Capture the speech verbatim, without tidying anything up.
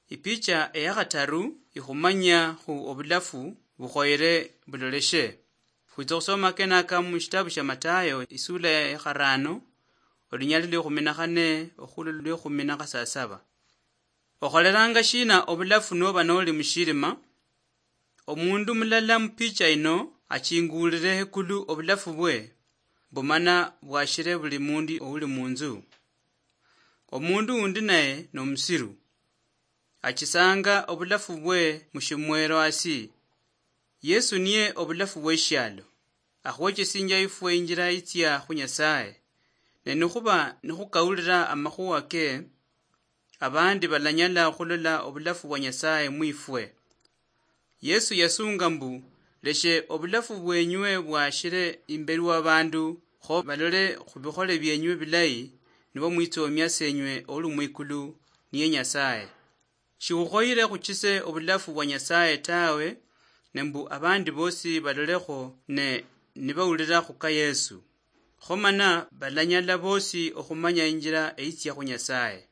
Ipicha eya khataru ikhumanya khu obulafu bukhoyere buloleshe. Khwitsa khusoma kenaka mu shitabu shia Matayo, isula ya kharano, olunyali lwa ekhumi na khane okhula lwa ekhumi na khasasaba. Okholeranga shina obulafu noba noli mushirima? Omundu mulala mupicha ino achingulire hekulu obulafu bwe, bumana bwashire buli mundu ouli munzu. Omundu undi naye nomusiru, achisanga obulafu bwe mushimwero asi. Yesu niye obulafu bweshialo, akhwechesinjia ifwe injira itsia khu Nyasaye. Ne nikhuba nikhukaulira amakhuwa ke, abandi balanyala okhulola obulafu bwa Nyasaye mwifwe. Yesu yasunga mbu, "Leshe obulafu bwenywe bwashire imberi wa bandu, kho balole khubikhole bienywe bilayi, nibo mwitsomia senywe ouli mwikulu niye Nyasaye." Shikhukhoyire khuchise obulafu bwa Nyasaye tawe, ne mbu abandi bosi balolekho ne nibaulira khuka Yesu. Kho mana balanyala bosi okhumanya injira eyitsia khu Nyasaye.